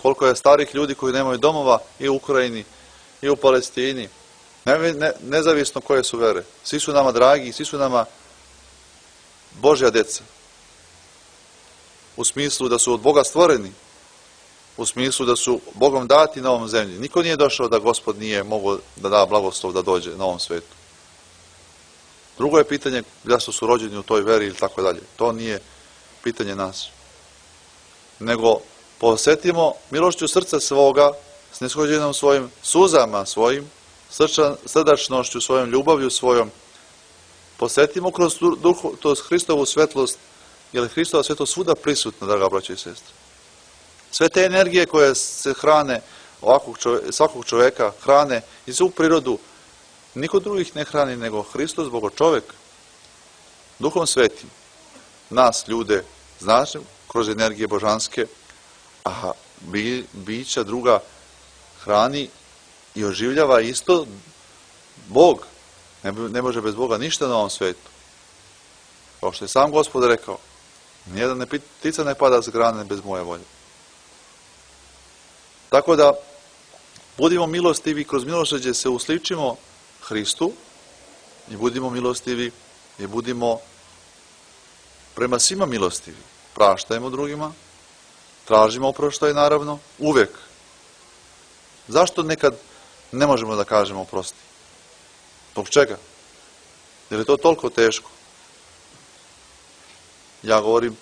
koliko je starih ljudi koji nemaju domova i u Ukrajini i u Palestini. Nezavisno koje su vere. Svi su nama dragi, svi su nama Božja deca. U smislu da su od Boga stvoreni. U smislu da su Bogom dati na ovom zemlji. Niko nije došao da Gospod nije mogao da da blagoslov da dođe na ovom svetu. Drugo je pitanje zašto su rođeni u toj veri ili tako dalje. To nije pitanje nas. Nego posjetimo milošću srca svoga, snishođenom svojim suzama svojim, srdačnošću svojom, ljubavlju svojom. Posjetimo kroz Hristovu svetlost, jer je Hristova svetlost svuda prisutna, draga braća i sestre. Sve te energije koje se hrane svakog čoveka, hrane i svu prirodu, niko drugih ne hrani nego Hristos, Bogo čovek, Duhom Svetim. Nas, ljude, znači, kroz energije božanske, a bića druga hrani i oživljava isto Bog. Ne može bez Boga ništa na ovom svetu. Kao što je sam Gospod rekao, nijedna ptica ne pada s grane bez moje volje. Tako da, budimo milostivi, kroz milosrđe se usličimo Hristu i budimo milostivi i budimo prema svima milostivi. Praštajmo drugima, tražimo oproštaj naravno, uvek. Zašto nekad ne možemo da kažemo oprosti? Zbog čega? Jer je to toliko teško. Ja govorim,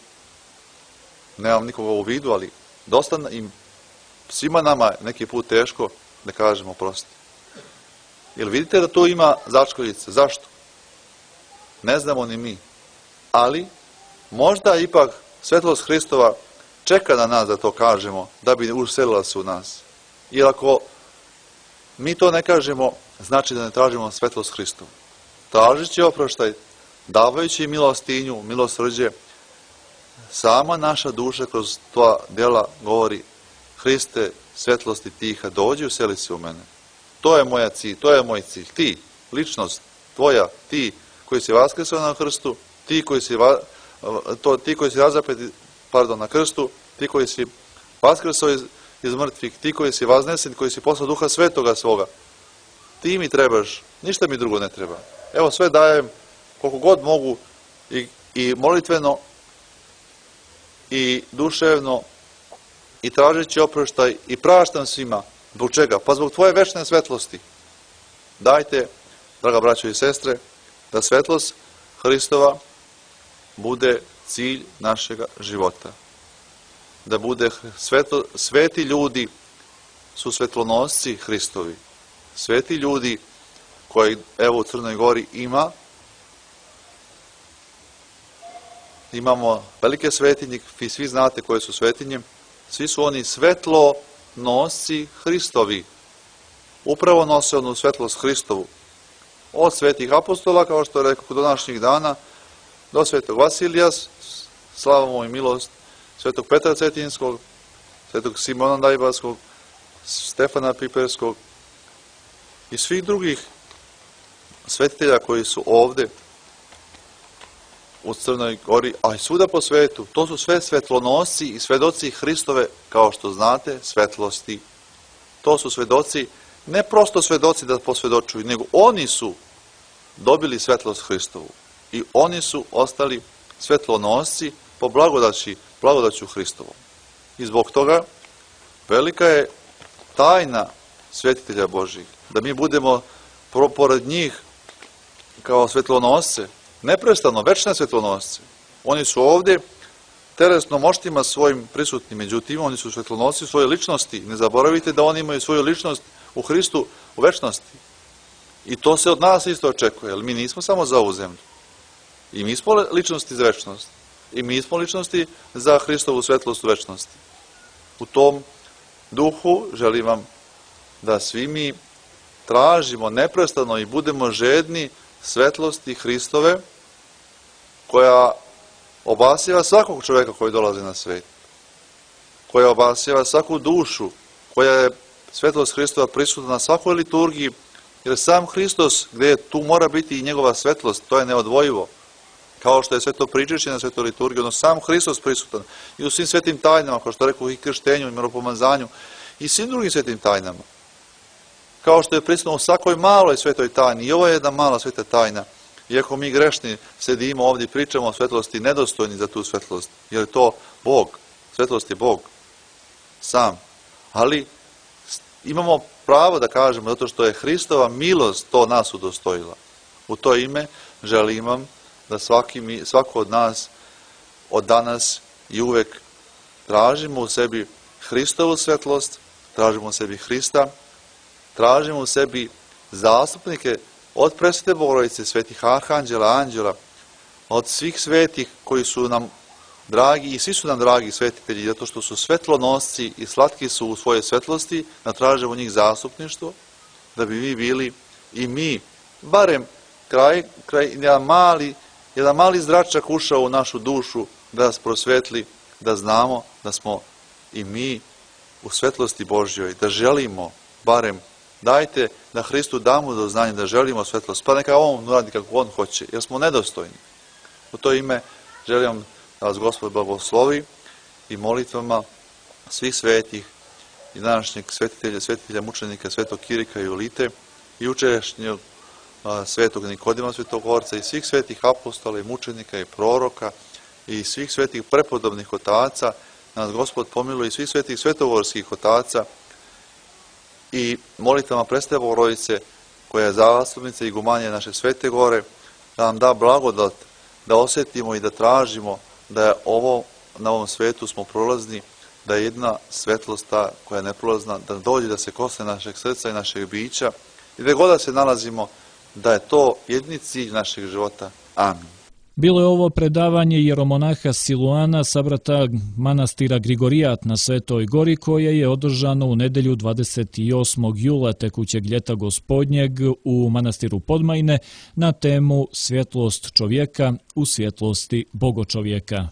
nemam nikoga u vidu, ali dosta im, svima nama neki put teško da kažemo oprosti. Jer vidite da to ima začkoljice. Zašto? Ne znamo ni mi. Ali, možda ipak svetlost Hristova čeka na nas da to kažemo, da bi uselila se u nas. Jer ako mi to ne kažemo, znači da ne tražimo svetlost Hristova. Tražeći oproštaj, davajući milostinju, milosrđe, sama naša duša kroz tvoja djela govori: Hriste, svetlosti tiha, dođi useli se u mene. To je moja cilj, to je moj cilj. Ti, ličnost tvoja, ti koji si vaskrsao na krstu, ti koji si razapeti, na krstu, ti koji si vaskrsao iz mrtvih, ti koji si vaznesen, koji si poslao Duha Svetoga svoga. Ti mi trebaš, ništa mi drugo ne treba. Evo sve dajem koliko god mogu i molitveno i duševno i tražeći oproštaj i praštam svima. Zbog čega? Pa zbog tvoje večne svetlosti. Dajte, draga braćo i sestre, da svetlost Hristova bude cilj našega života. Da bude sveti ljudi su svetlonosci Hristovi. Sveti ljudi koji evo u Crnoj Gori imamo velike svetinje, vi svi znate koje su svetinje, svi su oni svetlonosci Hristovi. Upravo nose onu svetlost Hristovu. Od svetih apostola, kao što je rekao, do današnjih dana, do svetog Vasilija, slava mu i milost, svetog Petra Cetinskog, svetog Simona Dajbalskog, Stefana Piperskog i svih drugih svetitelja koji su ovde u Crnoj Gori, a i svuda po svetu. To su sve svetlonosci i svedoci Hristove, kao što znate, svetlosti. To su svedoci, ne prosto svedoci da posvedočuju, nego oni su dobili svetlost Hristovu. I oni su ostali svetlonosci po blagodaću Hristovom. I zbog toga velika je tajna svetitelja Božih, da mi budemo pored njih kao svetlonosce, neprestano, večne svetlonosce. Oni su ovde telesno moštima svojim prisutni, međutim, oni su svetlonosci svoje ličnosti. Ne zaboravite da oni imaju svoju ličnost u Hristu u večnosti. I to se od nas isto očekuje, jer mi nismo samo za ovu zemlju. I mi smo ličnosti za večnost. I mi smo ličnosti za Hristovu svetlost u večnosti. U tom duhu želim vam da svi mi tražimo neprestano i budemo žedni svetlosti Hristove, koja obasjava svakog čoveka koji dolazi na svet, koja obasjava svaku dušu, koja je svetlost Hristova prisutna na svakoj liturgiji, jer sam Hristos, gde tu mora biti i njegova svetlost, to je neodvojivo. Kao što je sveto pričešće na svetoj liturgiji, ono sam Hristos prisutan i u svim svetim tajnama, kao što rekao, i krštenju, i miropomazanju, i svim drugim svetim tajnama. Kao što je prisutno u svakoj maloj svetoj tajni, i ovo je jedna mala sveta tajna, iako mi grešni sedimo ovdje i pričamo o svetlosti, nedostojni za tu svetlost, jer je to Bog, svetlost je Bog, sam. Ali imamo pravo da kažemo, zato što je Hristova milost to nas udostojila. U to ime želim vam da svako od nas, od danas i uvek tražimo u sebi Hristovu svetlost, tražimo u sebi Hrista, tražimo u sebi zastupnike od presvete Bogorodice, svetih arhanđela, anđela, od svih svetih koji su nam dragi i svi su nam dragi svetitelji, zato što su svetlonosci i slatki su u svojoj svetlosti, da tražimo njih zastupništvo, da bi mi bili i mi, barem jedan mali zračak ušao u našu dušu, da nas prosvetli, da znamo da smo i mi u svetlosti Božjoj, da želimo barem, dajte da Hristu damo do znanja da želimo svetlost, pa neka on uradi kako on hoće, jer smo nedostojni. U to ime želim da vas Gospod blagoslovi i molitvama svih svetih i današnjeg svetitelja mučenika svetog Kirika i Julite i jučerašnjeg svetog Nikodima Svetogorca i svih svetih apostola i mučenika i proroka i svih svetih prepodobnih otaca, nas Gospod pomiluje i svih svetih svetogorskih otaca i molitvama presvete Bogorodice, koja je zastupnica i igumanija naše Svete Gore, da nam da blagodat, da osjetimo i da tražimo da je na ovom svetu smo prolazni, da je jedna svetlost ta koja je neprolazna, da dođe da se kosne našeg srca i našeg bića i da god da se nalazimo, da je to jedini cilj našeg života. Amin. Bilo je ovo predavanje jeromonaha Siluana sabrata manastira Grigorijat na Svetoj Gori, koje je održano u nedelju 28. jula tekućeg ljeta gospodnjeg u manastiru Podmajne na temu Svjetlost čovjeka u svjetlosti Bogočovjeka.